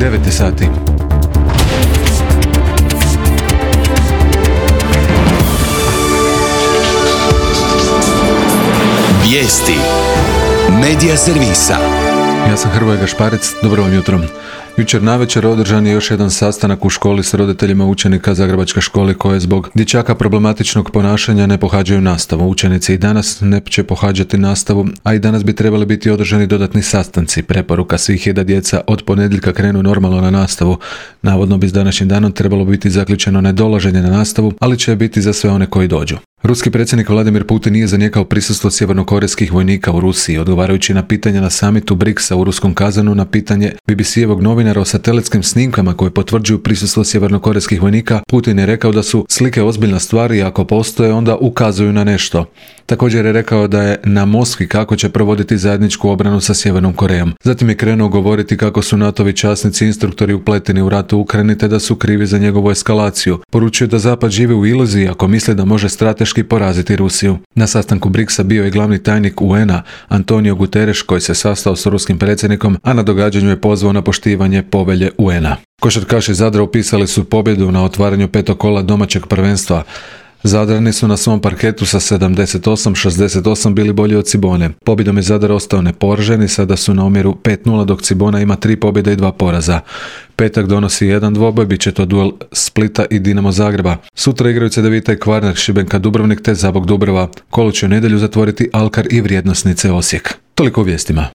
9 sati. Vijesti Medija servisa. Ja sam Hrvoje Gašparec, dobro vam jutro. Jučer navečer održan je još jedan sastanak u školi s roditeljima učenika Zagrebačke škole koje zbog dječaka problematičnog ponašanja ne pohađaju nastavu. Učenici i danas ne će pohađati nastavu, a i danas bi trebali biti održani dodatni sastanci. Preporuka svih je da djeca od ponedjeljka krenu normalno na nastavu. Navodno bi s današnjim danom trebalo biti zaključeno nedolaženje na nastavu, ali će biti za sve one koji dođu. Ruski predsjednik Vladimir Putin nije zanijekao prisustvo sjevernokorejskih vojnika u Rusiji, odgovarajući na pitanja na samitu BRICS-a u ruskom Kazanu na pitanje BBC-evog novinara o satelitskim snimkama koje potvrđuju prisustvo sjevernokorejskih vojnika. Putin je rekao da su slike ozbiljna stvar i ako postoje onda ukazuju na nešto. Također je rekao da je na Moskvi kako će provoditi zajedničku obranu sa Sjevernom Korejom. Zatim je krenuo govoriti kako su NATO-vi časnici instruktori upleteni u rat u Ukrajini te da su krivi za njegovu eskalaciju. Poručio je da Zapad živi u iluziji ako misli da može strateški poraziti Rusiju. Na sastanku BRICS-a bio je glavni tajnik UN-a Antonio Guterres koji se sastao s ruskim predsjednikom, a na događanju je pozvao na poštivanje povelje UN-a. Košarkaši Zadra upisali su pobjedu na otvaranju petog kola domaćeg prvenstva. Zadrani su na svom parketu sa 78-68 bili bolji od Cibone. Pobjedom je Zadar ostao neporažen i sada su na omjeru 5-0 dok Cibona ima 3 pobjede i 2 poraza. Petak donosi jedan dvoboj, bit će to duel Splita i Dinamo Zagreba. Sutra igraju Cedevita i Kvarner, Šibenka Dubrovnik te Zabok Dubrava. Kolo će u nedjelju zatvoriti Alkar i Vrijednosnice Osijek. Toliko u vijestima.